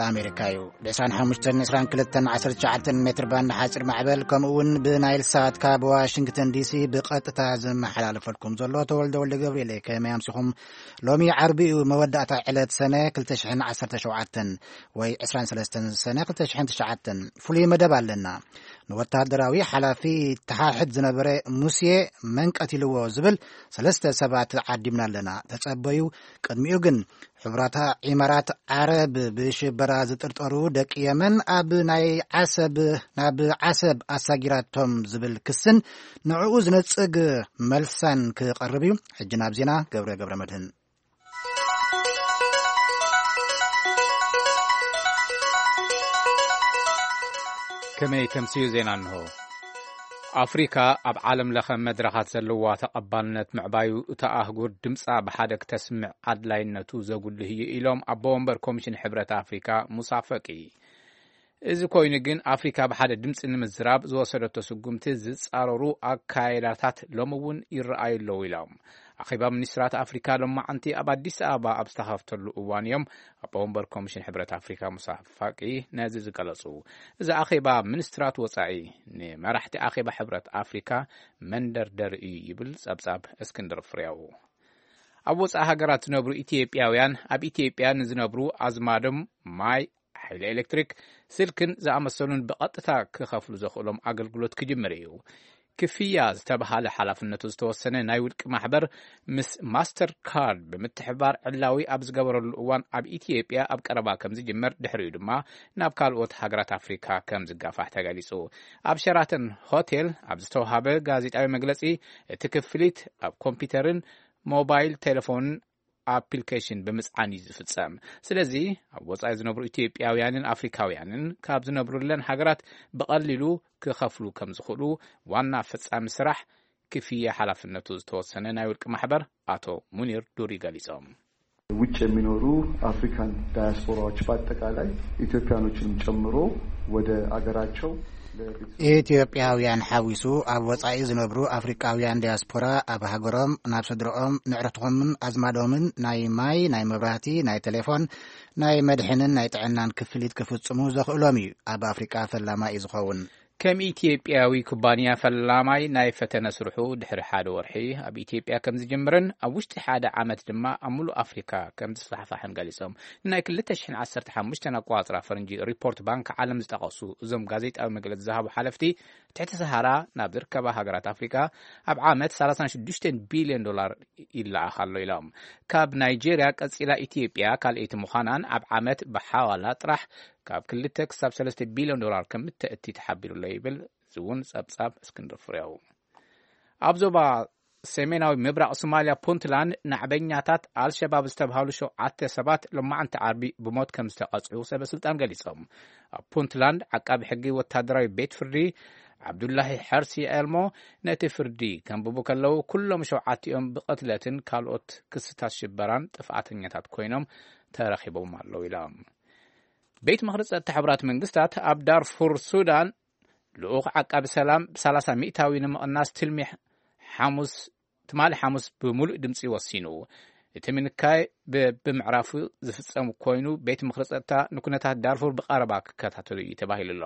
ኣሜሪካ እዩ። ብ ዕስራን ሓሙሽተን፣ ዕስራን ክልተን፣ ዓሰርተ ትሽዓተን ሜትር ባንድ ሓፂር ማዕበል፣ ከምኡ እውን ብናይል ሳት ካብ ዋሽንግተን ዲሲ ብቐጥታ ዝመሓላለፈልኩም ዘሎ ተወልደ ወልደ ገብርኤል። ከመይ ኣምሲኹም? ሎሚ ዓርቢ እዩ፣ መወዳእታ ዕለት ሰነ ክልተ ሽሕን ዓሰርተ ሸውዓተን ወይ ዕስራን ሰለስተን ሰነ ክልተ ሽሕን ትሽዓተን። ፍሉይ መደብ ኣለና። ንወታደራዊ ሓላፊ ተሓሕድ ዝነበረ ሙሴ መን ቀቲልዎ ዝብል ሰለስተ ሰባት ዓዲምና ኣለና። ተጸበዩ። ቅድሚኡ ግን፣ ሕቡራታ ኢማራት ዓረብ ብሽበራ ዝጥርጠሩ ደቂ የመን ኣብ ናይ ዓሰብ፣ ናብ ዓሰብ ኣሳጊራቶም ዝብል ክስን ንዕኡ ዝነጽግ መልሳን ክቐርብ እዩ። ሕጂ ናብ ዜና ገብረ ገብረ መድህን። ከመይ ተምስዩ ዜና እንሆ። ኣፍሪካ ኣብ ዓለም ለኸ መድረኻት ዘለዋ ተቐባልነት ምዕባዩ፣ እታ ኣህጉር ድምፃ ብሓደ ክተስምዕ ኣድላይነቱ ዘጉልህ እዩ ኢሎም ኣቦ ወንበር ኮሚሽን ሕብረት ኣፍሪካ ሙሳ ፈቂ። እዚ ኮይኑ ግን ኣፍሪካ ብሓደ ድምፂ ንምዝራብ ዝወሰደቶ ስጉምቲ ዝፃረሩ ኣካይዳታት ሎሚ እውን ይረኣዩ ኣለዉ ኢሎም። ኣኼባ ሚኒስትራት ኣፍሪካ ሎማዓንቲ ኣብ ኣዲስ ኣበባ ኣብ ዝተኸፍተሉ እዋን እዮም ኣቦ ወንበር ኮሚሽን ሕብረት ኣፍሪካ ሙሳ ፋቂ ነዚ ዝገለጹ። እዚ ኣኼባ ሚኒስትራት ወጻኢ ንመራሕቲ ኣኼባ ሕብረት ኣፍሪካ መንደርደሪ እዩ ይብል ጸብጻብ እስክንድር ፍሬው። ኣብ ወጻኢ ሃገራት ዝነብሩ ኢትዮጵያውያን ኣብ ኢትዮጵያ ንዝነብሩ ኣዝማዶም ማይ፣ ሓይሊ ኤሌክትሪክ፣ ስልክን ዝኣመሰሉን ብቐጥታ ክኸፍሉ ዘኽእሎም ኣገልግሎት ክጅምር እዩ። ክፍያ ዝተባሃለ ሓላፍነቱ ዝተወሰነ ናይ ውልቂ ማሕበር ምስ ማስተር ካርድ ብምትሕባር ዕላዊ ኣብ ዝገበረሉ እዋን ኣብ ኢትዮጵያ ኣብ ቀረባ ከም ዝጅመር፣ ድሕሪኡ ድማ ናብ ካልኦት ሃገራት ኣፍሪካ ከም ዝጋፋሕ ተገሊጹ። ኣብ ሸራተን ሆቴል ኣብ ዝተውሃበ ጋዜጣዊ መግለጺ፣ እቲ ክፍሊት ኣብ ኮምፒውተርን ሞባይል ቴሌፎንን ኣፕሊኬሽን ብምጽዓን እዩ ዝፍጸም። ስለዚ ኣብ ወጻኢ ዝነብሩ ኢትዮጵያውያንን ኣፍሪካውያንን ካብ ዝነብሩለን ሃገራት ብቐሊሉ ክኸፍሉ ከም ዝኽእሉ ዋና ፈጻሚ ስራሕ ክፍያ ሓላፍነቱ ዝተወሰነ ናይ ውልቂ ማሕበር ኣቶ ሙኒር ዱሪ ገሊጾም። ውጭ የሚኖሩ አፍሪካን ዳያስፖራዎች በአጠቃላይ ኢትዮጵያኖችንም ጨምሮ ወደ አገራቸው ለቤተሰብ ኢትዮጵያውያን ሓዊሱ ኣብ ወጻኢ ዝነብሩ ኣፍሪቃውያን ዲያስፖራ ኣብ ሃገሮም ናብ ስድረኦም፣ ንዕረትኾምን ኣዝማዶምን ናይ ማይ፣ ናይ መብራህቲ፣ ናይ ቴሌፎን፣ ናይ መድሕንን ናይ ጥዕናን ክፍሊት ክፍጽሙ ዘኽእሎም እዩ። ኣብ ኣፍሪቃ ፈላማይ እዩ ዝኸውን። ከም ኢትዮጵያዊ ኩባንያ ፈላማይ ናይ ፈተነ ስርሑ ድሕሪ ሓደ ወርሒ ኣብ ኢትዮጵያ ከም ዝጅምርን ኣብ ውሽጢ ሓደ ዓመት ድማ ኣብ ሙሉእ ኣፍሪካ ከም ዝስፋሕፋሕን ገሊጾም። ንናይ ክልተ ሽሕን ዓሰርተ ሓሙሽተን ኣቆጻጽራ ፈረንጂ ሪፖርት ባንክ ዓለም ዝጠቐሱ እዞም ጋዜጣዊ መግለጺ ዝሃቡ ሓለፍቲ፣ ትሕቲ ሰሃራ ናብ ዝርከባ ሃገራት ኣፍሪካ ኣብ ዓመት ሰላሳን ሽዱሽተን ቢልዮን ዶላር ይለኣኽ ኣሎ ኢሎም። ካብ ናይጄርያ ቀጺላ ኢትዮጵያ ካልኣይቲ ምዃናን ኣብ ዓመት ብሓዋላ ጥራሕ ካብ ክልተ ክሳብ ሰለስተ ቢልዮን ዶላር ከም እተእቲ ተሓቢሩ ኣሎ ይብል። እዚ እውን ጸብጻብ እስክንድር ፍሬው። ኣብ ዞባ ሰሜናዊ ምብራቕ ሶማልያ ፑንትላንድ ናዕበኛታት ኣልሸባብ ዝተብሃሉ ሸውዓተ ሰባት ሎማዓንቲ ዓርቢ ብሞት ከም ዝተቐጽዑ ሰበ ስልጣን ገሊጾም። ኣብ ፑንትላንድ ዓቃቢ ሕጊ ወታደራዊ ቤት ፍርዲ ዓብዱላሂ ሐርሲ ኤልሞ ነቲ ፍርዲ ከንብቡ ከለዉ፣ ኩሎም ሸውዓቲኦም ብቕትለትን ካልኦት ክስታት ሽበራን ጥፍኣተኛታት ኮይኖም ተረኺቦም ኣለዉ ኢሎም። ቤት ምኽሪ ጸጥታ ሕቡራት መንግስታት ኣብ ዳርፉር ሱዳን ልኡኽ ዓቃቢ ሰላም ብ30% ንምቕናስ ትልሚ ሓሙስ፣ ትማሊ ሓሙስ ብምሉእ ድምጺ ወሲኑ። እቲ ምንካይ ብ-፣ ብምዕራፉ ዝፍጸም ኮይኑ፣ ቤት ምኽሪ ጸጥታ ንኩነታት ዳርፉር ብቐረባ ክከታተሉ እዩ ተባሂሉ ኣሎ።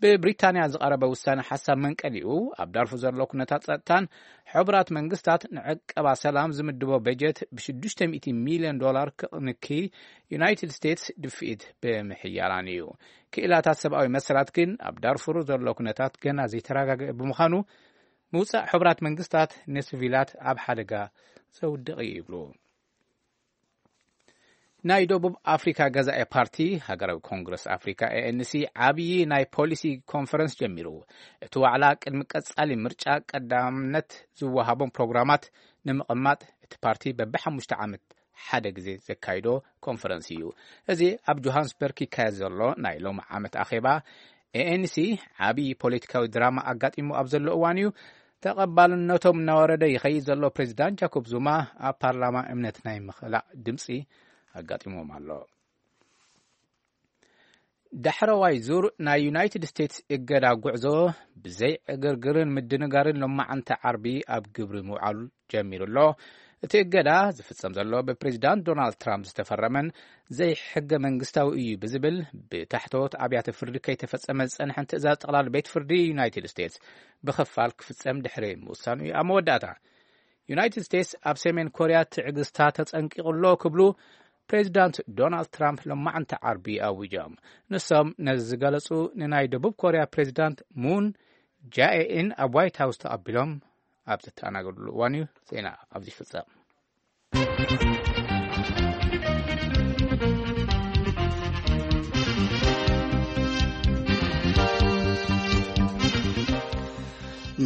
ብብሪታንያ ዝቐረበ ውሳነ ሓሳብ መንቀሊኡ፣ ኣብ ዳርፉር ዘሎ ኩነታት ጸጥታን ሕቡራት መንግስታት ንዕቀባ ሰላም ዝምድቦ በጀት ብ600 ሚልዮን ዶላር ክቕንኪ ዩናይትድ ስቴትስ ድፍኢት ብምሕያላን እዩ። ክኢላታት ሰብኣዊ መሰላት ግን ኣብ ዳርፉር ዘሎ ኩነታት ገና ዘይተረጋገአ ብምዃኑ፣ ምውጻእ ሕቡራት መንግስታት ንሲቪላት ኣብ ሓደጋ ዘውድቕ እዩ ይብሉ። ናይ ደቡብ ኣፍሪካ ገዛኢ ፓርቲ ሃገራዊ ኮንግረስ ኣፍሪካ፣ ኤ ኤን ሲ፣ ዓብዪ ናይ ፖሊሲ ኮንፈረንስ ጀሚሩ። እቲ ዋዕላ ቅድሚ ቀጻሊ ምርጫ ቀዳምነት ዝወሃቦም ፕሮግራማት ንምቕማጥ እቲ ፓርቲ በብሓሙሽተ ዓመት ሓደ ግዜ ዘካይዶ ኮንፈረንስ እዩ። እዚ ኣብ ጆሃንስበርግ ይካየድ ዘሎ ናይ ሎሚ ዓመት ኣኼባ፣ ኤ ኤን ሲ ዓብዪ ፖለቲካዊ ድራማ ኣጋጢሙ ኣብ ዘሎ እዋን እዩ። ተቐባልነቶም እናወረደ ይኸይድ ዘሎ ፕሬዚዳንት ጃኮብ ዙማ ኣብ ፓርላማ እምነት ናይ ምኽላእ ድምፂ ኣጋጢሞም ኣሎ። ዳሕረዋይ ዙር ናይ ዩናይትድ ስቴትስ እገዳ ጉዕዞ ብዘይ ዕግርግርን ምድንጋርን ሎማዓንቲ ዓርቢ ኣብ ግብሪ ምውዓሉ ጀሚሩ ኣሎ። እቲ እገዳ ዝፍጸም ዘሎ ብፕሬዚዳንት ዶናልድ ትራምፕ ዝተፈረመን ዘይሕገ መንግስታዊ እዩ ብዝብል ብታሕተዎት ኣብያተ ፍርዲ ከይተፈጸመ ዝጸንሐን ትእዛዝ ጠቕላሊ ቤት ፍርዲ ዩናይትድ ስቴትስ ብኽፋል ክፍጸም ድሕሪ ምውሳኑ እዩ። ኣብ መወዳእታ ዩናይትድ ስቴትስ ኣብ ሰሜን ኮርያ ትዕግስታ ተጸንቂቑ ኣሎ ክብሉ ፕሬዚዳንት ዶናልድ ትራምፕ ሎማዕንቲ ዓርቢ ኣዊጆም። ንሶም ነዚ ዝገለጹ ንናይ ደቡብ ኮርያ ፕሬዚዳንት ሙን ጃኤኢን ኣብ ዋይት ሃውስ ተቐቢሎም ኣብ ዝተኣናገድሉ እዋን እዩ። ዜና ኣብዚ ይፍጸም።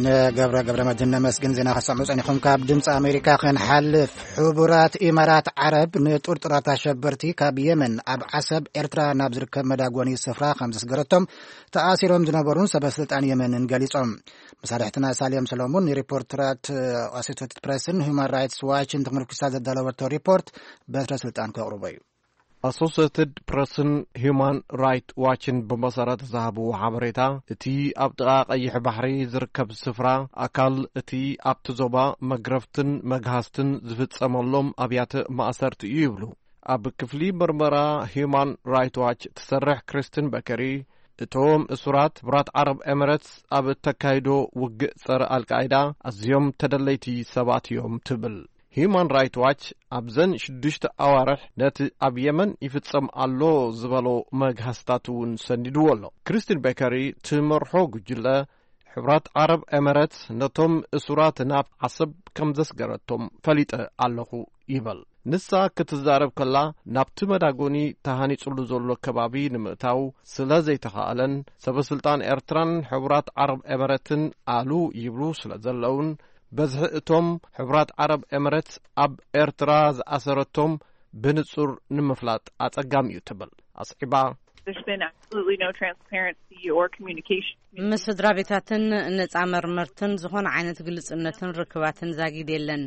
ንገብረ ገብረ መድህን ነመስግን። ዜና ከሰምዑ ጸኒኹም ካብ ድምፂ ኣሜሪካ ክንሓልፍ፣ ሕቡራት ኢማራት ዓረብ ንጥርጡራት ኣሸበርቲ ካብ የመን ኣብ ዓሰብ ኤርትራ ናብ ዝርከብ መዳጎኒ ስፍራ ከም ዘስገረቶም ተኣሲሮም ዝነበሩን ሰበ ስልጣን የመንን ገሊጾም። መሳርሕትና ሳልዮም ሰሎሞን ንሪፖርተራት ኣሶሴትድ ፕሬስን ሁማን ራይትስ ዋችን ተመርኩሳ ዘዳለወቶ ሪፖርት በትረ ስልጣን ከቕርቦ እዩ። ኣሶሴትድ ፕሬስን ሁማን ራይት ዋችን ብመሰረት ዝሃብዎ ሓበሬታ፣ እቲ ኣብ ጥቓ ቀይሕ ባሕሪ ዝርከብ ስፍራ ኣካል እቲ ኣብቲ ዞባ መግረፍትን መግሃስትን ዝፍጸመሎም ኣብያተ ማእሰርቲ እዩ ይብሉ። ኣብ ክፍሊ መርመራ ሁማን ራይት ዋች ትሰርሕ ክሪስትን በከሪ፣ እቶም እሱራት ሕቡራት ዓረብ ኤምሬትስ ኣብ እተካይዶ ውግእ ጸረ ኣልቃይዳ ኣዝዮም ተደለይቲ ሰባት እዮም ትብል። ሂዩማን ራይት ዋች ኣብዘን ሽዱሽተ ኣዋርሕ ነቲ ኣብ የመን ይፍጸም ኣሎ ዝበሎ መግሃስታት እውን ሰኒድዎ ኣሎ። ክሪስቲን ቤከሪ ትመርሖ ጉጅለ ሕብራት ዓረብ ኤመረት ነቶም እሱራት ናብ ዓሰብ ከም ዘስገረቶም ፈሊጠ ኣለኹ ይበል። ንሳ ክትዛረብ ከላ፣ ናብቲ መዳጎኒ ተሃኒጹሉ ዘሎ ከባቢ ንምእታው ስለ ዘይተኻእለን፣ ሰበስልጣን ኤርትራን ሕቡራት ዓረብ ኤመረትን ኣሉ ይብሉ ስለ ዘለውን፣ በዝሒ እቶም ሕቡራት ዓረብ ኤመረት ኣብ ኤርትራ ዝኣሰረቶም ብንጹር ንምፍላጥ ኣጸጋሚ እዩ ትብል ኣስዒባ። There's been absolutely no transparency or communication. ምስ ስድራ ቤታትን ነጻ መርመርትን ዝኾነ ዓይነት ግልጽነትን ርክባትን ዛጊድ የለን።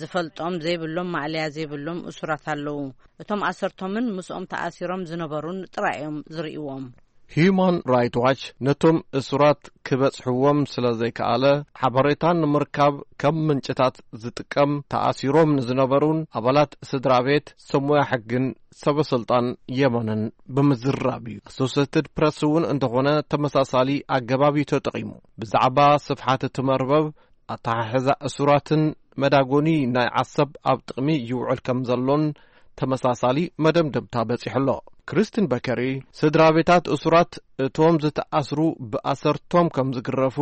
ዝፈልጦም ዘይብሎም ማእለያ ዘይብሎም እሱራት ኣለዉ። እቶም ኣሰርቶምን ምስኦም ተኣሲሮም ዝነበሩን ጥራይ እዮም ዝርእይዎም። ሂዩማን ራይት ዋች ነቶም እሱራት ክበጽሕዎም ስለ ዘይከኣለ፣ ሓበሬታ ንምርካብ ከም ምንጭታት ዝጥቀም፣ ተኣሲሮም ንዝነበሩን ኣባላት ስድራ ቤት፣ ሰብ ሞያ ሕግን ሰበ ስልጣን የመንን ብምዝራብ እዩ። ኣሶሴትድ ፕረስ እውን እንተኾነ ተመሳሳሊ ኣገባብ እዩ ተጠቒሙ። ብዛዕባ ስፍሓት እቲ መርበብ፣ ኣተሓሕዛ እሱራትን መዳጎኒ ናይ ዓሰብ ኣብ ጥቕሚ ይውዕል ከም ዘሎን ተመሳሳሊ መደምደምታ በጺሑ ኣሎ። ክሪስቲን በከሪ፣ ስድራ ቤታት እሱራት እቶም ዝተኣስሩ ብኣሰርቶም ከም ዝግረፉ፣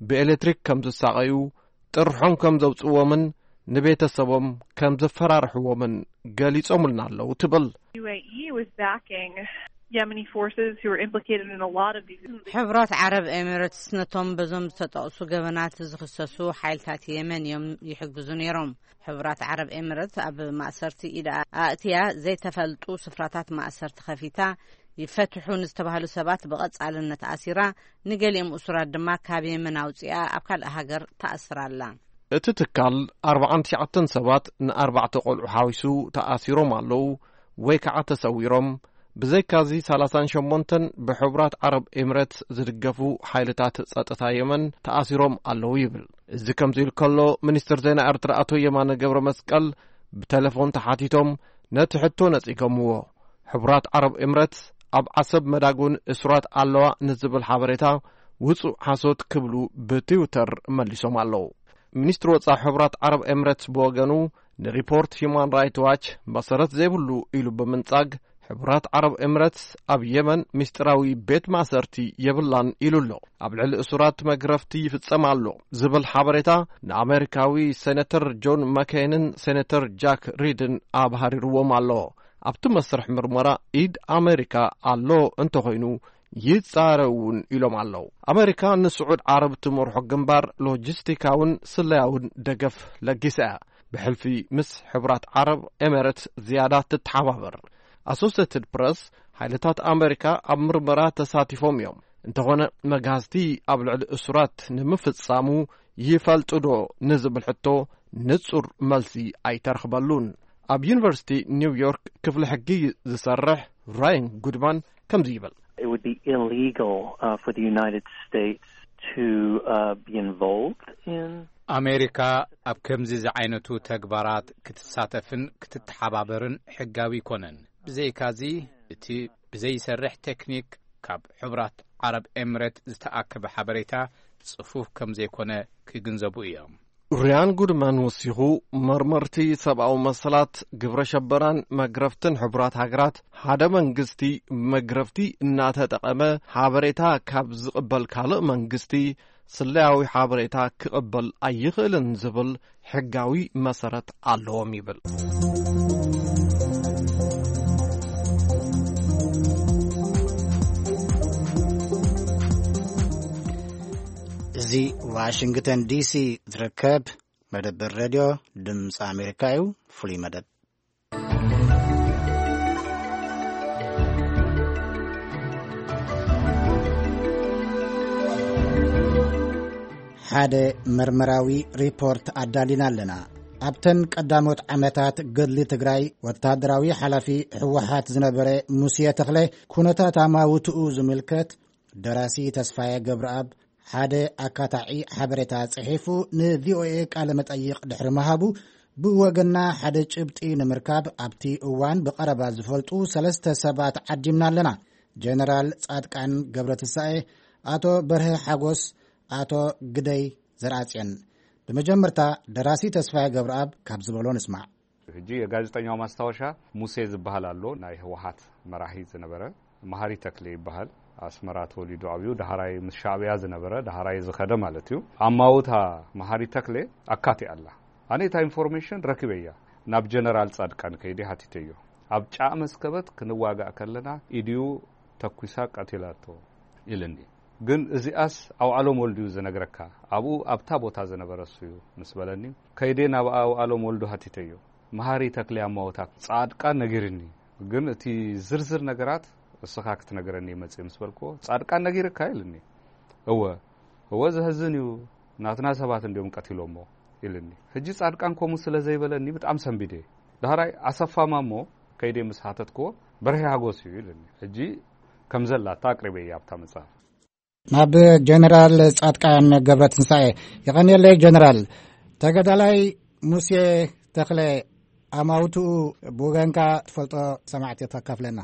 ብኤሌክትሪክ ከም ዝሳቐዩ፣ ጥርሖም ከም ዘውጽእዎምን ንቤተሰቦም ከም ዘፈራርሕዎምን ገሊጾምልና ኣለዉ ትብል። U A E was backing Yemeni forces who were implicated in a lot of these. ሕቡራት ዓረብ ኤሚሬትስ ነቶም በዞም ዝተጠቕሱ ገበናት ዝኽሰሱ ሓይልታት የመን እዮም ይሕግዙ ነይሮም። ሕቡራት ዓረብ ኤሚሬትስ ኣብ ማእሰርቲ ኢድ ኣእትያ ዘይተፈልጡ ስፍራታት ማእሰርቲ ከፊታ፣ ይፈትሑ ንዝተባህሉ ሰባት ብቐጻልነት ኣሲራ፣ ንገሊኦም እሱራት ድማ ካብ የመን ኣውጺኣ ኣብ ካልእ ሃገር ተኣስራ ኣላ። እቲ ትካል ኣርባዓን ትሽዓተን ሰባት ንኣርባዕተ ቆልዑ ሓዊሱ ተኣሲሮም ኣለዉ ወይ ከዓ ተሰዊሮም። ብዘይካዚ ሰላሳን ሸሞንተን ብሕቡራት ዓረብ ኤምሬትስ ዝድገፉ ሓይልታት ጸጥታ የመን ተኣሲሮም ኣለዉ ይብል። እዚ ከምዚ ኢሉ ከሎ፣ ሚኒስትር ዜና ኤርትራ ኣቶ የማነ ገብረ መስቀል ብቴሌፎን ተሓቲቶም ነቲ ሕቶ ነጺጎምዎ። ሕቡራት ዓረብ ኤምሬትስ ኣብ ዓሰብ መዳጎኒ እሱራት ኣለዋ ንዝብል ሓበሬታ ውጹእ ሓሶት ክብሉ ብትዊተር መሊሶም ኣለዉ። ሚኒስትሪ ወጻኢ ሕቡራት ዓረብ ኤምሬትስ ብወገኑ ንሪፖርት ሂዩማን ራይት ዋች መሰረት ዘይብሉ ኢሉ ብምንጻግ፣ ሕቡራት ዓረብ ኤምሬትስ ኣብ የመን ምስጢራዊ ቤት ማእሰርቲ የብላን ኢሉ ኣሎ። ኣብ ልዕሊ እሱራት መግረፍቲ ይፍጸም ኣሎ ዝብል ሓበሬታ ንኣሜሪካዊ ሴኔተር ጆን መኬንን ሴኔተር ጃክ ሪድን ኣብሃሪርዎም ኣሎ። ኣብቲ መስርሕ ምርመራ ኢድ ኣሜሪካ ኣሎ እንተኾይኑ ይጻረ እውን ኢሎም ኣለዉ። ኣሜሪካ ንስዑድ ዓረብ ትመርሖ ግንባር ሎጂስቲካውን ስለያውን ደገፍ ለጊሳ እያ። ብሕልፊ ምስ ሕቡራት ዓረብ ኤሜሬትስ ዝያዳ ትተሓባበር። ኣሶሴትድ ፕረስ፣ ሓይልታት ኣሜሪካ ኣብ ምርመራ ተሳቲፎም እዮም። እንተኾነ መግሃስቲ ኣብ ልዕሊ እሱራት ንምፍጻሙ ይፈልጡ ዶ ንዝብል ሕቶ ንጹር መልሲ ኣይተረኽበሉን። ኣብ ዩኒቨርሲቲ ኒውዮርክ ክፍሊ ሕጊ ዝሰርሕ ራያን ጉድማን ከምዚ ይብል። It would be illegal, uh, for the United States to, uh, be involved in ኣሜሪካ ኣብ ከምዚ ዝዓይነቱ ተግባራት ክትሳተፍን ክትተሓባበርን ሕጋዊ ኣይኮነን። ብዘይካዚ፣ እቲ ብዘይሰርሕ ቴክኒክ ካብ ሕቡራት ዓረብ ኤምሬት ዝተኣከበ ሓበሬታ ጽፉፍ ከም ዘይኮነ ክግንዘቡ እዮም። ሪያን ጉድማን ወሲኹ፣ መርመርቲ ሰብኣዊ መሰላት፣ ግብረ ሸበራን መግረፍትን ሕቡራት ሃገራት፣ ሓደ መንግስቲ ብመግረፍቲ እናተጠቐመ ሓበሬታ ካብ ዝቕበል ካልእ መንግስቲ ስለያዊ ሓበሬታ ክቕበል ኣይኽእልን ዝብል ሕጋዊ መሰረት ኣለዎም ይብል። እዚ ዋሽንግተን ዲሲ ዝርከብ መደበር ሬድዮ ድምፂ ኣሜሪካ እዩ። ፍሉይ መደብ። ሓደ መርመራዊ ሪፖርት ኣዳሊና ኣለና። ኣብተን ቀዳሞት ዓመታት ገድሊ ትግራይ፣ ወታደራዊ ሓላፊ ህወሓት ዝነበረ ሙሴ ተኽለ፣ ኩነታት ኣማውትኡ ዝምልከት፣ ደራሲ ተስፋዬ ገብረኣብ ሓደ ኣካታዒ ሓበሬታ ጽሒፉ ንቪኦኤ ቃለ መጠይቕ ድሕሪ ምሃቡ፣ ብወገንና ሓደ ጭብጢ ንምርካብ፣ ኣብቲ እዋን ብቐረባ ዝፈልጡ ሰለስተ ሰባት ዓዲምና ኣለና። ጀነራል ጻድቃን ገብረትንሳኤ፣ ኣቶ በርሀ ሓጎስ፣ ኣቶ ግደይ ዘርኣጽዮን። ብመጀመርታ፣ ደራሲ ተስፋዬ ገብረኣብ ካብ ዝበሎ ንስማዕ። ሕጂ የጋዜጠኛው ማስታወሻ ሙሴ ዝበሃል ኣሎ፣ ናይ ህወሓት መራሒ ዝነበረ። መሃሪ ተክሌ ይበሃል። ኣስመራ ተወሊዱ ዓብዩ፣ ዳህራይ ምስ ሻዕብያ ዝነበረ፣ ዳህራይ ዝኸደ ማለት እዩ። ኣማውታ መሃሪ ተክሌ ኣካቲኣ ኣላ። ኣነ እታ ኢንፎርሜሽን ረኪበያ፣ ናብ ጀነራል ጻድቃን ከይደ ሓቲተዮ። ኣብ ጫእ መስከበት ክንዋጋእ ከለና ኢድዩ ተኩሳ ቀቲላቶ ኢልኒ። ግን እዚኣስ ኣውዓሎም ወልድዩ ዝነግረካ፣ ኣብኡ ኣብታ ቦታ ዝነበረ እሱዩ ምስ በለኒ፣ ከይደ ናብ ኣውዓሎም ወልዱ ሓቲተዮ። መሃሪ ተክሌ ኣማውታ ጻድቃን ነጊርኒ። ግን እቲ ዝርዝር ነገራት እስኻ ክትነግረኒ መጽእ ምስ በልክዎ፣ ጻድቃን ነጊርካ ኢልኒ። እወ፣ እወ፣ ዘሕዝን እዩ፣ ናትና ሰባት እንዲዮም ቀቲሎሞ ኢልኒ። ሕጂ ጻድቃን ከምኡ ስለ ዘይበለኒ ብጣዕሚ ሰንቢደ። ዳህራይ ኣሰፋ ማሞ ከይደ ምስ ሓተትክዎ፣ በርሄ ሓጎስ እዩ ኢልኒ። ሕጂ ከም ዘላታ ኣቅሪበያ ኣብታ መጽሓፍ። ናብ ጀነራል ጻድቃን ገብረትንሳኤ። የቐንየለይ ጀነራል። ተጋዳላይ ሙሴ ተኽለ፣ ኣማውትኡ ብወገንካ ትፈልጦ ሰማዕቲ ተካፍለና።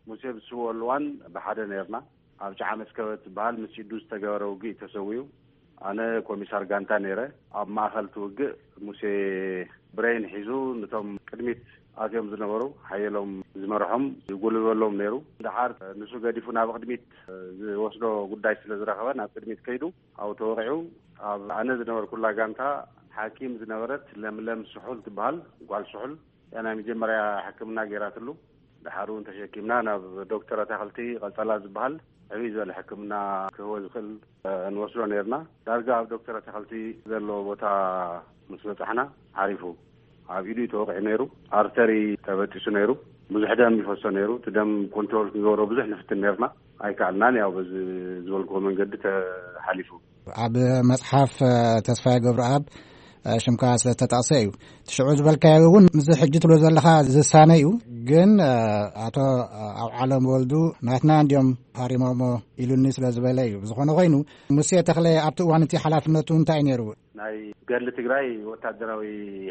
ሙሴ ብስውኦ ልዋን ብሓደ ነርና። ኣብ ጨዓ መስከበት ዝበሃል ምስ ኢዱ ዝተገበረ ውግእ ተሰዊኡ። ኣነ ኮሚሳር ጋንታ ነይረ። ኣብ ማእኸል እቲ ውግእ ሙሴ ብሬን ሒዙ ነቶም ቅድሚት ኣትዮም ዝነበሩ ሓየሎም ዝመርሖም ይጉልበሎም ነይሩ። ደሓር ንሱ ገዲፉ ናብ ቅድሚት ዝወስዶ ጉዳይ ስለ ዝረኸበ ናብ ቅድሚት ከይዱ ኣብኡ ተወቒዑ። ኣብ ኣነ ዝነበርኩላ ጋንታ ሓኪም ዝነበረት ለምለም ስሑል ትበሃል ጓል ስሑል እያ ናይ መጀመርያ ሕክምና ገይራትሉ። ደሓር እውን ተሸኪምና ናብ ዶክተር ኣታኽልቲ ቀጸላ ዝበሃል ዕብይ ዝበለ ሕክምና ክህቦ ዝኽእል፣ እ፣ ንወስዶ ነይርና። ዳርጋ ኣብ ዶክተር ኣታኽልቲ ዘለዎ ቦታ ምስ በጻሕና ዓሪፉ። ኣብ ኢዱ እዩ ተወቒዑ ነይሩ። ኣርተሪ ተበጢሱ ነይሩ። ብዙሕ ደም ይፈሶ ነይሩ። እቲ ደም ኮንትሮል ክንገብሮ ብዙሕ ንፍትን ነይርና። ኣይከኣልናን። ያው በዚ ዝበልክዎ መንገዲ ተሓሊፉ። ኣብ መጽሓፍ፣ እ፣ ተስፋዬ ገብረኣብ፣ እ፣ ሽምካ ስለ ዝተጠቕሰ እዩ። እቲ ሽዑ ዝበልካዮ እውን ምስዚ ሕጂ ትብሎ ዘለኻ ዝሳነ እዩ። ግን፣ እ፣ ኣቶ ኣውዓሎም ወልዱ ናትና እንድዮም ሃሪሞሞ ኢሉኒ ስለ ዝበለ እዩ። ብዝኾነ ኮይኑ፣ ሙሴ ተኽለ ኣብቲ እዋን እቲ ሓላፍነቱ እንታይ እዩ ነይሩ? ናይ ገድሊ ትግራይ ወታደራዊ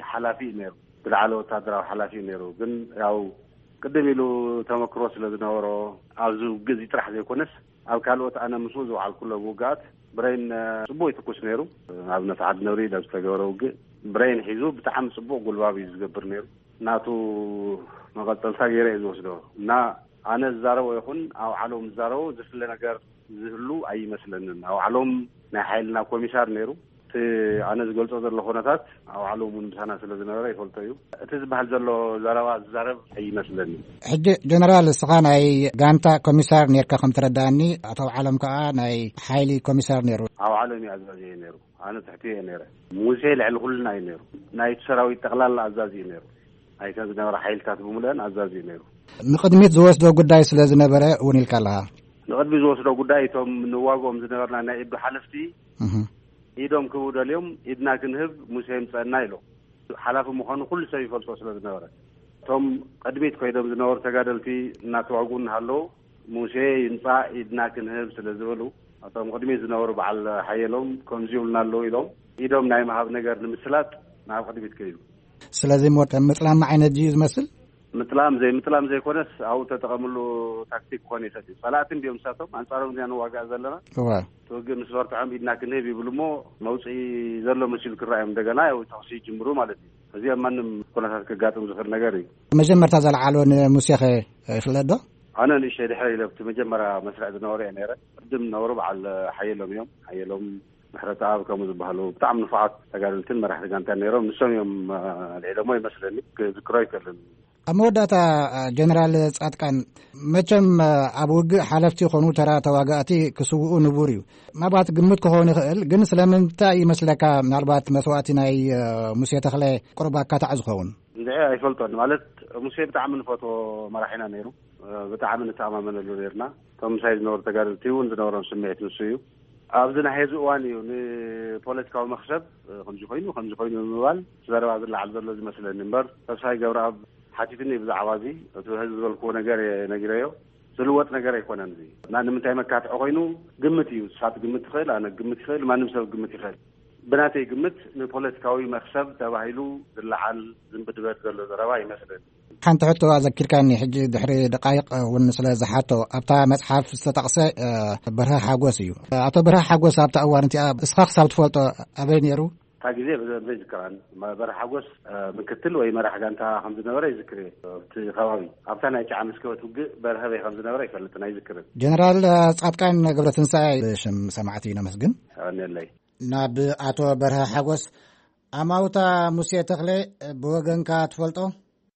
ሓላፊ እዩ ነይሩ። ዝለዓለ ወታደራዊ ሓላፊ እዩ ነይሩ። ግን ያው ቅድም ኢሉ ተመክሮ ስለ ዝነበሮ ኣብዚ ውግእ እዚ ጥራሕ ዘይኮነስ ኣብ ካልኦት ኣነ ምስኡ ዝወዓልኩሎም ውግኣት ብሬን፣ እ፣ ጽቡቕ ይትኩስ ነይሩ። ንኣብነት ዓዲ ነብሪ ኢለ ዝተገበረ ውግእ ብሬን ሒዙ ብጣዕሚ ጽቡቕ ጉልባብ እዩ ዝገብር ነይሩ። ናቱ መቐጸልታ ገይረ እየ ዝወስዶ። እና ኣነ ዝዛረቦ ይኹን ኣብ ዓለም ዝዛረቦ ዝፍለ ነገር ዝህሉ ኣይመስለንን። ኣብ ዓለም ናይ ሓይልና ኮሚሳር ነይሩ። እቲ ኣነ ዝገልጾ ዘሎ ኩነታት ኣብ ዓለም እውን ምሳና ስለ ዝነበረ ይፈልጦ እዩ። እቲ ዝበሃል ዘሎ ዘረባ ዝዛረብ ኣይመስለንን። ሕጂ ጀነራል፣ እስኻ ናይ ጋንታ ኮሚሳር ነርካ ከም ተረዳእኒ፣ ኣቶ ዓለም ከኣ ናይ ሓይሊ ኮሚሳር ነይሩ። ኣብ ዓለም እዩ ኣዛዚ ነይሩ። ኣነ ትሕቲ እየ ነይረ። ሙሴ ልዕሊ ኩልና እዩ ነይሩ። ናይቲ ሰራዊት ጠቕላላ ኣዛዚ እዩ ነይሩ። ናይተን ዝነበራ ሓይልታት ብምሉአን ኣዛዚ እዩ ነይሩ። ንቕድሚት ዝወስዶ ጉዳይ ስለ ዝነበረ እውን ኢልካ ኣለኻ። ንቕድሚ ዝወስዶ ጉዳይ እቶም ንዋግኦም ዝነበርና ናይ ኢዱ ሓለፍቲ እህ። ኢዶም ክህቡ ደልዮም፣ ኢድና ክንህብ ሙሴ ይምጸአና ኢሎም። ሓላፊ ምዃኑ ኩሉ ሰብ ይፈልጦ ስለ ዝነበረ፣ እቶም ቅድሚት ኮይዶም ዝነበሩ ተጋደልቲ እናተዋግኡ እናሃለዉ፣ ሙሴ ይምጻእ ኢድና ክንህብ ስለ ዝበሉ፣ እቶም ቅድሚት ዝነበሩ በዓል ሓየሎም ከምዚ ይብሉና ኣለዉ ኢሎም፣ ኢዶም ናይ ምሃብ ነገር ንምስላጥ ናብ ቅድሚት ከይዱ። ስለዚ እሞ ከም ምጥላም ዓይነት ድዩ ዝመስል? ምጥላም ዘይምጥላም ዘይኮነስ ኣብኡ ተጠቐምሉ ታክቲክ ክኾን ይኽእል እዩ። ጸላእቲ እንዲዮም ንሳቶም፣ ኣንጻሮም ኢና ንዋጋእ ዘለና። እዋ። እቲ ውግእ ምስ በርትዖም ኢድና ክንህብ ይብሉ እሞ መውፅኢ ዘሎ መሲሉ ክረኣዮም እንደገና ያው ተኹሲ ይጅምሩ ማለት እዩ። እዚኦም ማንም ኩነታት ከጋጥም ዝኽእል ነገር እዩ። መጀመርታ ዘልዓሎ ንሙሴኸ ይፍለጥ ዶ? ኣነ ንእሽተይ ድሕረ ኢለ ኣብቲ መጀመርያ መስርዕ ዝነበሩ እየ ነይረ። ቅድም ነበሩ በዓል ሓየሎም እዮም። ሓየሎም ምሕረተኣብ ከምኡ ዝበሃሉ ብጣዕሚ ንፉዓት ተጋደልትን መራሕቲ ጋንታን ነይሮም። ንሶም እዮም ኣልዒሎሞ ይመስለኒ። ክዝክሮ ኣይክእልን። ኣብ መወዳእታ ጀነራል ጻድቃን፣ መቸም ኣብ ውግእ ሓለፍቲ ይኾኑ፣ ተራ ተዋጋእቲ ክስውኡ ንቡር እዩ። ምናልባት ግምት ክኸውን ይኽእል፣ ግን ስለምንታይ ይመስለካ ምናልባት መስዋእቲ ናይ ሙሴ ተኽለ ቁሩብ ኣካታዕ ዝኸውን? እንድዒ ኣይፈልጦን። ማለት ሙሴ ብጣዕሚ ንፈትዎ መራሒና ነይሩ። ብጣዕሚ ንተኣማመነሉ ነይርና። እቶም ምሳይ ዝነበሩ ተጋደልቲ እውን ዝነበሮም ስምዒት ንሱ እዩ። ኣብዚ ናይ ሄዚ እዋን እዩ ንፖለቲካዊ መኽሰብ ከምዚ ኮይኑ፣ ከምዚ ኮይኑ ብምባል ዘረባ ዝለዓል ዘሎ ዝመስለኒ እምበር፣ ተስፋይ ገብረኣብ ሓቲትኒ ብዛዕባ እዚ። እቲ ህዝቢ ዝበልክዎ ነገር እየ ነጊረዮ። ዝልወጥ ነገር ኣይኮነን። እዚ እና ንምንታይ መካትዒ ኮይኑ ግምት እዩ። ንሳት ግምት ትኽእል፣ ኣነ ግምት ይኽእል፣ ማንም ሰብ ግምት ይኽእል። ብናተይ ግምት ንፖለቲካዊ መኽሰብ ተባሂሉ ዝለዓል ዝንብድበት ዘሎ ዘረባ ይመስለኒ። ሓንቲ ሕቶ ኣዘኪርካኒ፣ ሕጂ ድሕሪ ደቃይቕ እውን ስለ ዝሓቶ፣ ኣብታ መጽሓፍ ዝተጠቕሰ፣ እ፣ በርሀ ሓጎስ እዩ። ኣቶ በርሀ ሓጎስ ኣብታ እዋን እቲኣ እስኻ ክሳብ ትፈልጦ ኣበይ ነይሩ? እታ ግዜ ብደንቢ ኣይዝክራን። መ-፣ በርሀ ሓጎስ፣ እ፣ ምክትል ወይ መራሕ ጋንታ ከም ዝነበረ ይዝክር እየ። ኣብቲ ከባቢ፣ ኣብታ ናይ ጨዓ መስከበት ውግእ በርሀ በይ ከም ዝነበረ ኣይፈልጥን፣ ኣይዝክርን። ጀነራል፣ እ፣ ጻድቃን ገብረትንሳኤ፣ ብሽም ሰማዕቲ ነመስግን። የቐንየለይ። ናብ ኣቶ በርሀ ሓጎስ፣ ኣማውታ ሙሴ ተኽለ ብወገንካ ትፈልጦ?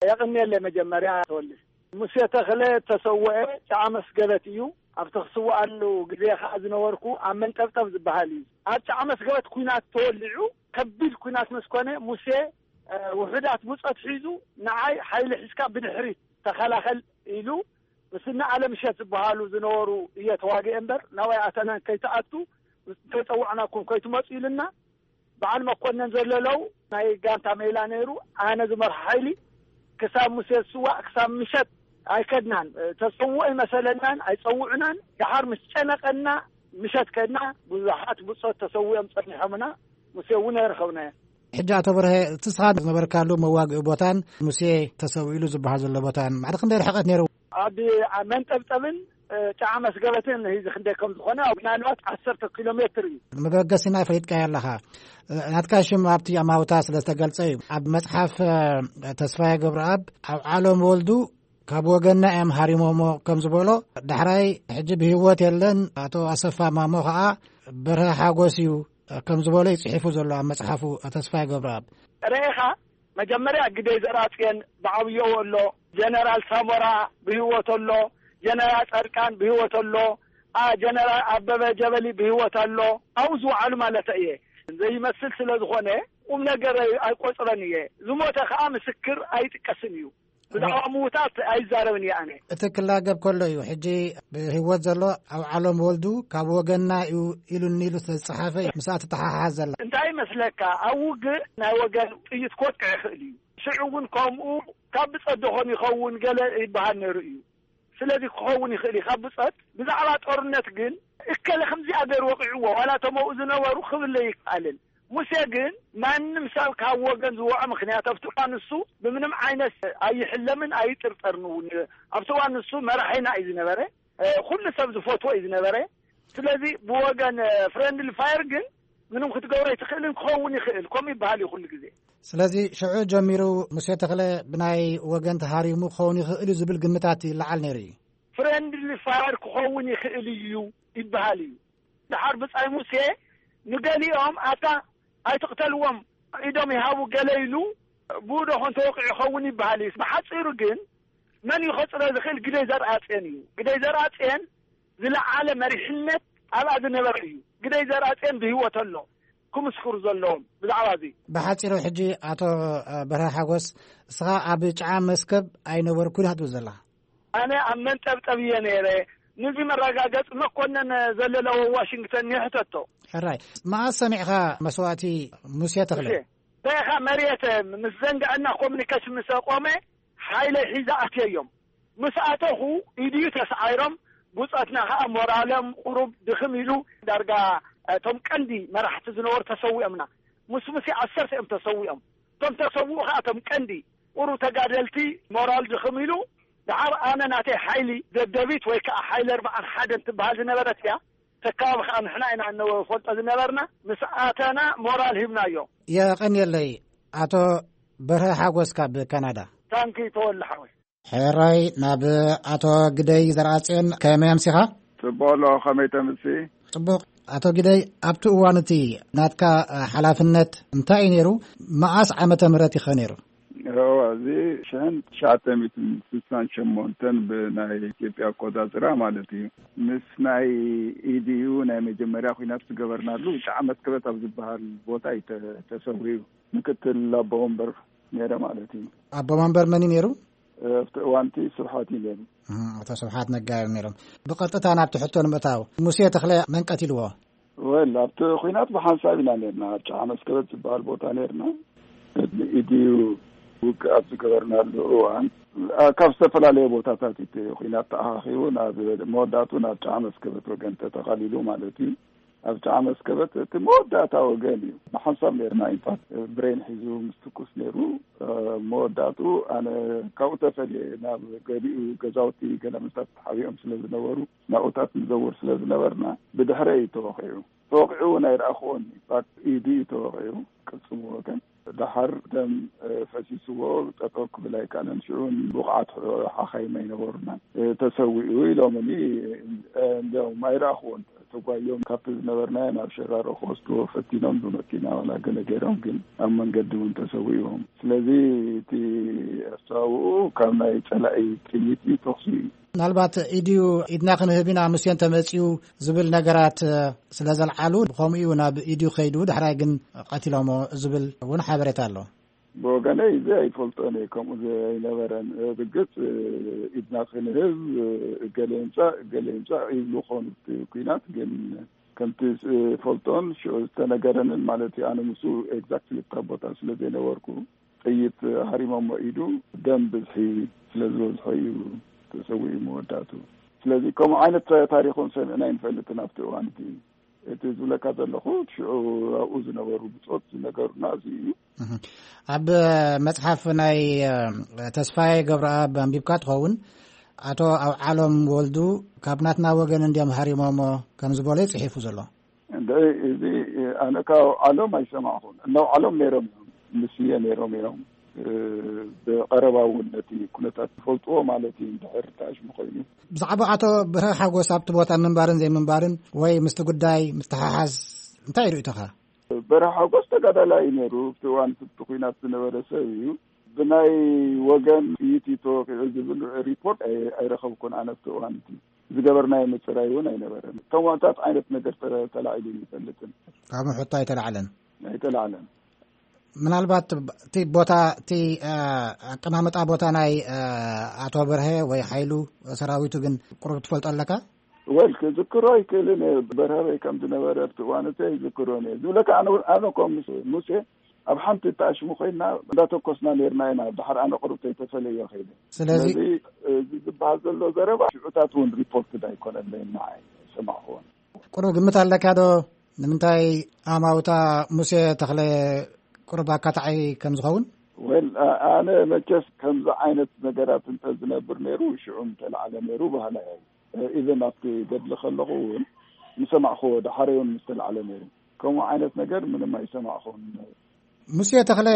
የቐንየለይ። መጀመርያ ተወልደ ሙሴ ተኽለ ተሰውአ ጨዓ መስገበት እዩ። ኣብቲ ክስውኣሉ ግዜ ኸዓ ዝነበርኩ ኣብ መንጠብጠብ ዝበሃል እዩ። ኣብ ጨዓ መስገበት ኲናት ተወሊዑ፣ ከቢድ ኲናት ምስ ኮነ ሙሴ፣ እ፣ ውሑዳት ብጾት ሒዙ ንዓይ ሓይሊ ሒዝካ ብድሕሪት ተኸላኸል ኢሉ ምስኒ ኣለምሸት ዝበሃሉ ዝነበሩ እየ ተዋጊኤ እምበር ናባይ ኣተናን ከይትኣቱ፣ ከይጸዋዕናኩም ከይትመጹ ኢልና። በዓል መኮነን ዘለለው ናይ ጋንታ ሜላ ነይሩ። ኣነ ዝመርሖ ሓይሊ ክሳብ ሙሴ ዝስዋእ ክሳብ ምሸት ኣይከድናን። ተሰውኦ ይመሰለናን ኣይጸውዑናን። ደሓር ምስ ጨነቐና ምሸት ከድና። ብዙሓት ብጾት ተሰዊኦም ጸኒሖምና። ሙሴ እውን ኣይረኸብናዮ። ሕጂ ኣቶ በርሀ፣ እቲ ንስኻ ዝነበርካሉ መዋግኢ ቦታን ሙሴ ተሰዊእሉ ዝበሃል ዘሎ ቦታን ማዕረ ክንደይ ርሕቀት ነይሩ? ኣብ፣ ኣብ መንጠብጠብን፣ እ፣ ጨዓ መስገበትን እዚ ክንደይ ከም ዝኾነ ኣብ ምናልባት ዓሰርተ ኪሎ ሜትር እዩ። መበገሲና ፈሊጥካዮ ኣለኻ። እ፣ ናትካ ሽም ኣብቲ ኣማውታ ስለ ዝተገልጸ እዩ። ኣብ መጽሓፍ፣ እ፣ ተስፋዬ ገብረኣብ ኣብ ዓለም ወልዱ ካብ ወገንና እዮም ሃሪሞሞ ከም ዝበሎ፣ ዳሕራይ ሕጂ ብህይወት የለን፣ ኣቶ ኣሰፋ ማሞ ኸኣ በርሀ ሓጎስ እዩ ከም ዝበሎ እዩ ጽሒፉ ዘሎ ኣብ መጽሓፉ ተስፋዬ ገብረኣብ። ርኢኻ፣ መጀመርያ ግደይ ዘርኣጽዮን ብዓብዮኡ ኣሎ፣ ጀነራል ሳሞራ ብህይወት ኣሎ፣ ጀነራል ጻድቃን ብህይወት ኣሎ፣ ኣ፣ ጀነራል ኣበበ ጀበሊ ብህይወት ኣሎ። ኣብኡ ዝወዓሉ ማለት እየ። ዘይመስል ስለ ዝኾነ ቁም ነገር ኣይቆጽሮን እየ። ዝሞተ ከኣ ምስክር ኣይጥቀስን እዩ። ብዛዕባ ምዉታት ኣይዛረብን እየ ኣነ። እቲ ክላገብ ከሎ እዩ። ሕጂ ብህይወት ዘሎ ኣብ ዓለም ወልዱ ካብ ወገንና እዩ ኢሉኒ ኢሉ ስለ ዝጸሓፈ እዩ ምስኣ ትተሓሓዝ ዘላ። እንታይ ይመስለካ፣ ኣብ ውግእ ናይ ወገን ጥይት ክወቅዕ ይኽእል እዩ። ሽዑ እውን ከምኡ ካብ ብጸት ዶ ኾን ይኸውን ገለ ይበሃል ነይሩ እዩ። ስለዚ ክኸውን ይኽእል እዩ። ካብ ብጸት ብዛዕባ ጦርነት ግን እከለ ከምዚኣ ገይሩ ወቂዕዎ ዋላ እቶም ኣብኡ ዝነበሩ ክብል ኣይከኣልን። ሙሴ ግን ማንም ሰብ ካብ ወገን ዝወዖ፣ ምኽንያቱ ኣብቲ እዋን ንሱ ብምንም ዓይነት ኣይሕለምን ኣይጥርጠርን እውን። ኣብቲ እዋን ንሱ መራሒና እዩ ዝነበረ፣ እ፣ ኩሉ ሰብ ዝፈትዎ እዩ ዝነበረ። ስለዚ ብወገን፣ እ፣ ፍሬንድሊ ፋየር ግን ምንም ክትገብሮ ኣይትኽእልን። ክኸውን ይኽእል፣ ከምኡ ይበሃል እዩ ኩሉ ግዜ። ስለዚ ሽዑ ጀሚሩ ሙሴ ተኽለ ብናይ ወገን ተሃሪሙ ክኸውን ይኽእል እዩ ዝብል ግምታት ይለዓል ነይሩ እዩ። ፍሬንድሊ ፋየር ክኸውን ይኽእል እዩ ይበሃል እዩ። ደሓር ብጻይ ሙሴ ንገሊኦም ኣታ ኣይትቕተልዎም፣ ኢዶም ይሃቡ ገለ ኢሉ፣ ብኡ ዶ ኾን ተወቂዑ ይኸውን ይበሃል እዩ። ብሓጺሩ ግን መን እዩ ከጽሮ ዝኽእል? ግደይ ዘርኣጽዮን እዩ። ግደይ ዘርኣጽዮን ዝለዓለ መሪሕነት ኣብኣ ዝነበረ እዩ። ግደይ ዘርኣጽዮን ብህይወት ኣሎ፣ ክምስክሩ ዘለዎም ብዛዕባ እዚ። ብሓጺሩ ሕጂ ኣቶ በርሀ ሓጎስ፣ እስኻ ኣብ ጨዓ መስከብ ኣይነበርኩን ኢኻ ትብል ዘለኻ? ኣነ ኣብ መንጠብጠብ እየ ነይረ። ነዚ መረጋገጺ መኮነን ዘለለዎ ዋሽንግተን ይሕተቶ። ሕራይ፣ መኣስ ሰሚዕኻ መስዋእቲ ሙሴ ተኽለ? ሙሴ፣ በኻ መሬት ምስ ዘንግዐና ኮሙኒኬሽን ምስ ኣቆመ ሓይለይ ሒዛ ኣትየዮም። ምስ ኣተኹ ኢድዩ ተሳዒሮም፣ ብጾትና ኸኣ ሞራሎም ቁሩብ ድኽም ኢሉ፣ ዳርጋ እቶም ቀንዲ መራሕቲ ዝነበሩ ተሰዊኦምና። ምስ ሙሴ ዓሰርተ እዮም ተሰዊኦም። እቶም ተሰውኡ ከዓ እቶም ቀንዲ ቁሩ ተጋደልቲ፣ ሞራል ድኽም ኢሉ፣ ደሓር ኣነ ናተይ ሓይሊ ደደቢት ወይ ከዓ ሓይሊ ኣርባዓን ሓደን ትበሃል ዝነበረት እያ። ተካባቢ ከዓ ንሕና ኢና እንፈልጦ ዝነበርና። ምስ ኣተና ሞራል ሂብናዮ። የቐንየለይ። ኣቶ በርሀ ሓጎስ ካብ ካናዳ። ታንኪ ተወልደ ሓወይ። ሕራይ፣ ናብ ኣቶ ግደይ ዘርኣጽዮን ከመይ ኣምሲኻ? ጽቡቕ ኣሎ፣ ከመይ ተምሲ? ጽቡቕ። ኣቶ ግደይ፣ ኣብቲ እዋን እቲ ናትካ ሓላፍነት እንታይ እዩ ነይሩ? መዓስ ዓመተ ምህረት ይኸ ነይሩ? እዎ፣ እዚ ሽሕን ትሽዓተ ሚእትን ስሳን ሸሞንተን ብናይ ኢትዮጵያ ኣቆጻጽራ ማለት እዩ። ምስ ናይ ኢዲዩ ናይ መጀመርያ ኲናት ዝገበርናሉ ጫዕ መስከበት ኣብ ዝበሃል ቦታ እዩ ተ-፣ ተሰዊኡ። ምክትል ኣቦ ወንበር ነይረ ማለት እዩ። ኣቦ ወንበር መን እዩ ነይሩ? ኣብቲ እዋን እቲ ስብሓት እዩ ነይሩ። እህ፣ ኣቶ ስብሓት ነጋ እዮም ነይሮም። ብቐጥታ ናብቲ ሕቶ ንምእታው፣ ሙሴ ተኽለ መን ቀቲልዎ? ወል፣ ኣብቲ ኲናት ብሓንሳብ ኢና ነርና። ኣብ ጫዓ መስከበት ዝበሃል ቦታ ነርና። ቅድሚ ኢድዩ ውግእ ኣብ ዝገበርናሉ እዋን፣ ካብ ዝተፈላለየ ቦታታት እቲ ኲናት ተኣኻኺቡ ናብ መወዳእቱ ናብ ጫዓ መስከበት ወገን ተጠቓሊሉ ማለት እዩ። ኣብ ጫዓ መስከበት እቲ መወዳእታ ወገን እዩ። ብሓንሳብ ነርና። ኢንፋክት ብሬን ሒዙ ምስ ትኩስ ነይሩ። መወዳእቱ ኣነ ካብኡ ተፈልየ ናብ ገሊኡ ገዛውቲ ገለ መሳት ተሓቢኦም ስለ ዝነበሩ ናብኡታት ንዘውር ስለ ዝነበርና ብድሕረ እዩ ተወቒዑ። ተወቒዑ እውን ኣይረኣኽዎን። ኢንፋክት ኢዱ እዩ ተወቒዑ፣ ቅልጽሙ ወገን። ደሓር ደም ፈሲስዎ ጠጠው ክብል ኣይከኣለን። ሽዑ ብቑዓት ሓኻይም ኣይነበሩና። ተሰዊኡ ኢሎምኒ። እንዲያውም ኣይረኣኽዎን። ተጓዮም ካብቲ ዝነበርናዮ ናብ ሸራሮ ክወስድዎ ፈቲኖም ብመኪና ዋላ ገለ ገይሮም፣ ግን ኣብ መንገዲ እውን ተሰዊእዎም። ስለዚ እቲ ኣስተዋውኡ ካብ ናይ ጸላኢ ጥይት እዩ ተኹሲ እዩ። ምናልባት ኢድዩ ኢድና ክንህብ ኢና ሙሴ እንተመጺኡ ዝብል ነገራት ስለ ዘልዓሉ፣ ብኸምኡ እዩ ናብ ኢድዩ ከይዱ፣ ዳሕራይ ግን ቀቲሎሞ ዝብል እውን ሓበሬታ ኣሎ። ብወገነይ እዚ ኣይፈልጦን እየ፣ ከምኡ ዘይነበረን። ብግጽ ኢድና ክንህብ እገሌ ይምጻእ እገሌ ይምጻእ ይብሉ ኾኑ እቲ ኲናት፣ ግን ከምቲ ዝፈልጦን ሽዑ ዝተነገረንን ማለት እዩ። ኣነ ምስኡ ኤግዛክትሊ እታ ቦታ ስለ ዘይነበርኩ፣ ጥይት ሃሪሞሞ ኢዱ፣ ደም ብዝሒ ስለ ዝበዝሖ እዩ ተሰዊኡ መወዳእቱ። ስለዚ ከምኡ ዓይነት ታሪኽ እውን ሰሚዕና ኣይንፈልጥን ኣብቲ እዋን እቲ። እቲ ዝብለካ ዘለኹ ሽዑ ኣብኡ ዝነበሩ ብጾት ዝነገሩና እዚ እዩ። እህ። ኣብ መጽሓፍ ናይ፣ እ፣ ተስፋዬ ገብረኣብ ኣንቢብካ ትኸውን፣ ኣቶ ኣውዓሎም ወልዱ ካብ ናትና ወገን እንዲዮም ሃሪሞሞ ከም ዝበሎ እዩ ጽሒፉ ዘሎ። እንደ እዚ ኣነ ካብ ኣውዓሎም ኣይሰማዕኹን። እነ ኣውዓሎም ነይሮም እዮም፣ ምስየ ነይሮም እዮም። እ፣ ብቐረባ እውን ነቲ ኩነታት ዝፈልጥዎ ማለት እዩ፣ እንድሕር ተኣሽሙ ኮይኑ። ብዛዕባ ኣቶ ብርሀ ሓጎስ ኣብቲ ቦታ ምንባርን ዘይምንባርን ወይ ምስቲ ጉዳይ ምትሓሓዝ እንታይ ርእይቶኻ? በርሀ ሓጎስ ተጋዳላይ እዩ ነይሩ። ኣብቲ እዋን እቲ ኲናት ዝነበረ ሰብ እዩ። ብናይ ወገን ጥይት እዩ ተወቒዑ ዝብል ሪፖርት ኣይ-፣ ኣይረኸብኩን ኣነ ኣብቲ እዋን እቲ። ዝገበርናዮ ምጽራይ እውን ኣይነበረን። ከምኡታት ዓይነት ነገር ተረ-፣ ተላዒሉ ይፈልጥን። ካብ ምሕቶ ኣይተላዕለን? ኣይተላዕለን። ምናልባት እቲ ቦታ፣ እቲ፣ እ፣ ኣቀማምጣ ቦታ ናይ፣ እ፣ ኣቶ በርሀ ወይ ሓይሉ ሰራዊቱ ግን ቁሩብ ትፈልጦ ኣለካ? ወል፣ ክዝክሮ ኣይክእልን እየ። በርሀ በይ ከም ዝነበረ ኣብቲ እዋን እቲ ኣይዝክሮን እየ። ዝብለካ ኣነ፣ ኣነ እኮ ምስ ሙሴ ኣብ ሓንቲ ተኣሽሙ ኮይና እንዳተኮስና ነርና ኢና። ድሓር ኣነ ቁሩብ ተይተፈለየ ከይደ። ስለዚ ስለዚ እዚ ዝበሃል ዘሎ ዘረባ ሽዑታት እውን ሪፖርትድ ኣይኮነለይን፣ ንዓይ ሰማዕክዎን። ቁሩብ ግምት ኣለካ ዶ? ንምንታይ ኣማውታ ሙሴ ተኽለ ቁሩብ ኣካታዒ ከም ዝኸውን? ወል፣ ኣ-፣ ኣነ መቸስ ከምዚ ዓይነት ነገራት እንተ ዝነብር ነይሩ፣ ሽዑ ምተላዕለ ነይሩ በሃላይ እየ። ኢቨን ኣብቲ ገድሊ ከለኹ እውን ምሰማዕክዎ፣ ደሓረይ እውን ምስተላዕለ ነይሩ። ከምኡ ዓይነት ነገር ምንም ኣይሰማዕኹን። ሙሴ ተኽለ፣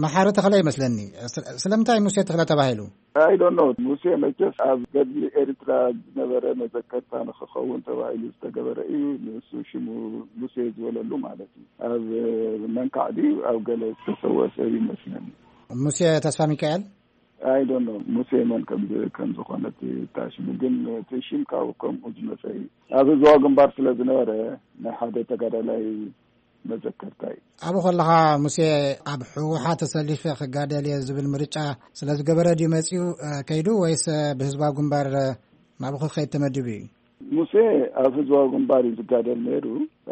መሓሪ ተኽለ ይመስለኒ። ስለ-፣ ስለምንታይ ሙሴ ተኽለ ተባሂሉ? I don't know። ሙሴ መቸስ ኣብ ገድሊ ኤርትራ ዝነበረ መዘከርታ ንክኸውን ተባሂሉ ዝተገበረ እዩ። ንሱ ሽሙ ሙሴ ዝበለሉ ማለት እዩ። ኣብ መንካዕ ድዩ ኣብ ገለ ዝተሰወ ሰብ ይመስለኒ። ሙሴ ተስፋ ሚካኤል? I don't know። ሙሴ መን ከም ዝ-፣ ከም ዝኾነ እቲ፣ እታ ሽሙ ግን እቲ ሽም ካብኡ ከምኡ ዝመጸ እዩ። ኣብ ህዝባዊ ግንባር ስለ ዝነበረ ናይ ሓደ ተጋዳላይ መዘከርታ እዩ። ኣብኡ ከለኻ ሙሴ ኣብ ህወሓት ተሰሊፈ ክጋደል እየ ዝብል ምርጫ ስለ ዝገበረ ድዩ መጺኡ፣ እ፣ ከይዱ ወይስ፣ እ፣ ብህዝባዊ ግንባር፣ እ፣ ናብኡ ክኸይድ ተመዲቡ እዩ? ሙሴ ኣብ ህዝባዊ ግንባር እዩ ዝጋደል ነይሩ።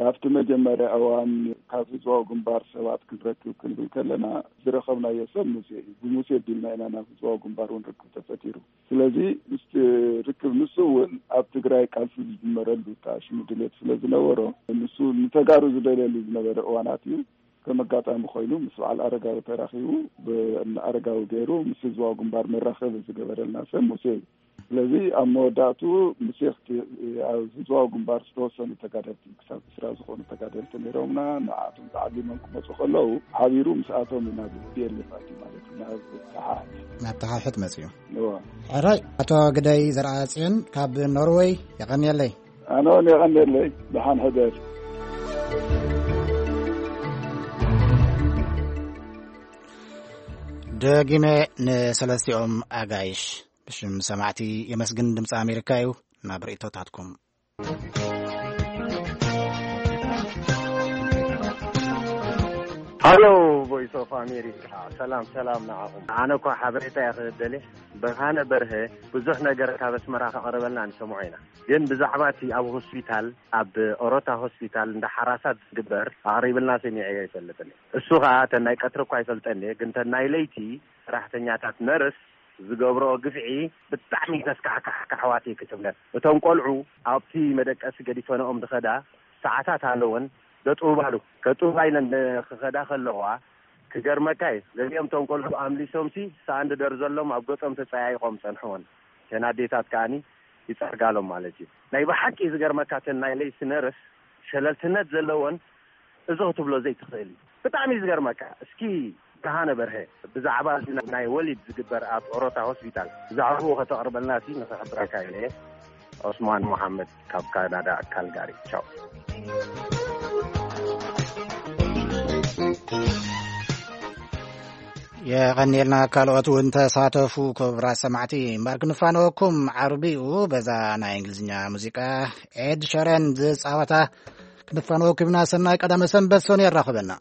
ኣብቲ መጀመርያ እዋን ካብ ህዝባዊ ግንባር ሰባት ክንረክብ ክንብል ከለና ዝረኸብናዮ ሰብ ሙሴ እዩ። ብሙሴ ቢልና ኢና ናብ ህዝባዊ ግንባር እውን ርክብ ተፈጢሩ። ስለዚ ምስቲ ርክብ ንሱ እውን ኣብ ትግራይ ቃልሲ ዝጅመረሉ ተኣሽሙ ድሌት ስለ ዝነበሮ፣ ንሱ ንተጋሩ ዝደልየሉ ዝነበረ እዋናት እዩ። ከም ኣጋጣሚ ኮይኑ ምስ በዓል ኣረጋዊ ተራኺቡ፣ ብኣረጋዊ ገይሩ ምስ ህዝባዊ ግንባር መራኸቢ ዝገበረልና ሰብ ሙሴ እዩ። ስለዚ ኣብ መወዳእቱ ሙሴ ክት- ኣብ ህዝባዊ ግንባር ዝተወሰኑ ተጋደልቲ፣ ክሳብ ዕስራ ዝኾኑ ተጋደልቲ ነይሮምና። ንዓቶም ተዓሊሞም ክመፁ ከለዉ ሓቢሩ ምስኣቶም እዩ ናብ ፒ ኤል ኤፍ ኣትዩ ማለት እዩ፣ ናብ ተሓሕት። ናብ ተሓሕት መፅዩ። እወ። ሕራይ፣ ኣቶ ግደይ ዘርኣፅዮን ካብ ኖርወይ፣ የቐንየለይ። ኣነ እውን የቐንየለይ። ደሓን ሕደር። ደጊመ ንሰለስቲኦም ኣጋይሽ ብሽም ሰማዕቲ የመስግን። ድምፂ ኣሜሪካ እዩ። ናብ ርእይቶታትኩም። ሃሎ፣ ቮይስ ኦፍ ኣሜሪካ። ሰላም ሰላም ንዓኹም። ኣነ እኳ ሓበሬታ እየ ክደሊ። ብርሃነ በርሀ ብዙሕ ነገር ካብ ኣስመራ ከቕርበልና ንሰምዖ ኢና። ግን ብዛዕባ እቲ ኣብ ሆስፒታል፣ ኣብ ኦሮታ ሆስፒታል እንዳ ሓራሳት ዝግበር ኣቕሪብልና ሰሚዐዮ ኣይፈልጥን እየ። እሱ ኸዓ እተን ናይ ቀትሪ እኳ ኣይፈልጠን እየ፣ ግን እተን ናይ ለይቲ ሰራሕተኛታት ነርስ ዝገብርኦ ግፍዒ ብጣዕሚ ዘስካሕክሕ ኣሕዋተይ ክትብለን። እቶም ቆልዑ ኣብቲ መደቀሲ ገዲፈንኦም ዝኸዳ ሰዓታት ኣለወን። ደጥውባሉ ከጥውባ ኢለን ክኸዳ ከለዋ ክገርመካ እዩ። ገሊኦም እቶም ቆልዑ ኣምሊሶምሲ ሳንድ ደርዘሎም ኣብ ገጾም ተጸያይቖም ጸንሕወን። እተን ኣዴታት ከኣኒ ይጸርጋሎም ማለት እዩ። ናይ ብሓቂ ዝገርመካ እተን ናይ ለይቲ ነርስ ሸለልትነት ዘለወን እዚ ክትብሎ ዘይትኽእል እዩ። ብጣዕሚ እዩ ዝገርመካ። እስኪ ብርሃነ በርሀ ብዛዕባ እዚ ናይ ወሊድ ዝግበር ኣብ ኦሮታ ሆስፒታል ብዛዕባኡ ከተቕርበልና ሲ ንኽሕብረካ ኢለ እየ። ዑስማን መሓመድ ካብ ካናዳ ካልጋሪ። ቻው። የቐንየልና። ካልኦት እውን ተሳተፉ። ክቡራት ሰማዕቲ፣ እምበር ክንፋነወኩም ዓርቢኡ በዛ ናይ እንግሊዝኛ ሙዚቃ ኤድ ሸረን ዝፃወታ ክንፋነወኩም ኢና። ሰናይ ቀዳመ ሰንበት። ሶኒ የራኽበና።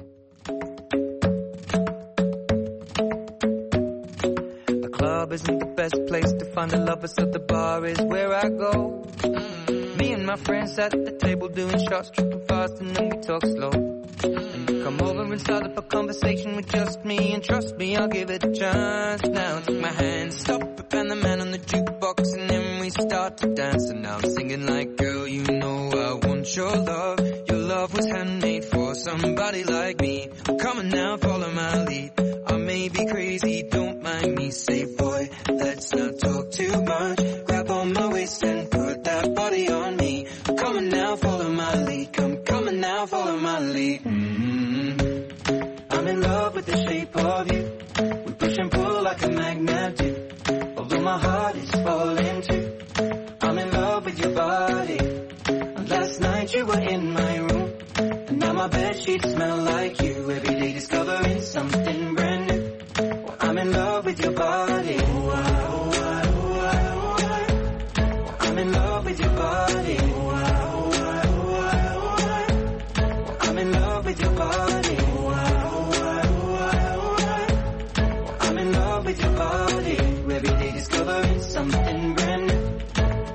The club isn't the best place to find a lover, so the bar is where I go. Me and my friends at the table doing shots, tripping fast, and then we talk slow. And you come over and start up a conversation with just me, and trust me, I'll give it a chance. Now take my hand, stop it, and the man on the jukebox, and then we start to dance. And now I'm singing like, girl, you know I want your love. Your love was handmade for somebody like me. Come on now, follow my lead. I may be crazy, don't mind me. Say, boy, let's not talk too much. Grab on my waist and put that body on me. Come on now, follow my lead. Come, come on now, follow my lead. Mm-hmm. I'm in love with the shape of you. We push and pull like a magnet do. Although my heart is falling too. I'm in love with your body. And last night you were in my room. And now my bed sheets smell like you. Every day discovering something brand new. Well, I'm in love with your body. Ooh, I, ooh, I, ooh, I, ooh, I. Well, I'm in love with your body. Ooh, I, ooh, I, ooh, I, ooh, I. Well, I'm in love with your body. Ooh, I, ooh, I, ooh, I, ooh, I. Well, I'm in love with your body. Every day discovering something brand new.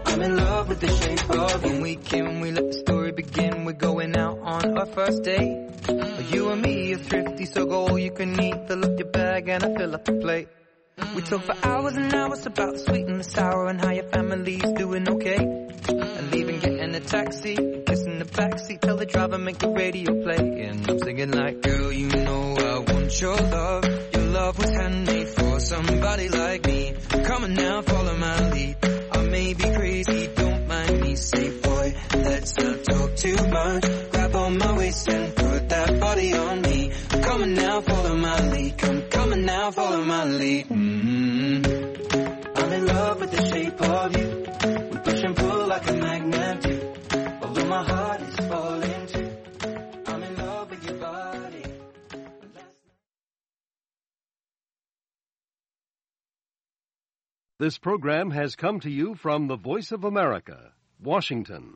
I'm in love with the shape of you. When we came, we let the story begin. We're going out on our first date. You and me are thrifty, so go all you can eat. Fill up your bag and I fill up the plate. We talk for hours and hours about the sweet and the sour and how your family's doing okay. And leaving, getting a taxi, kissing the backseat, tell the driver make the radio play. And I'm singing like, girl, you know I want your love. Your love was handmade for somebody like me. Come on now, follow my lead. I may be crazy, don't mind me. Say, boy, let's not talk too much. Grab on my waist and put that body on me. Come on now, follow my lead. Come, come on now, follow my lead. Mm-hmm. I'm in love with the shape of you. We push and pull like a magnet do. Although my heart is falling too. I'm in love with your body. This program has come to you from the Voice of America, Washington.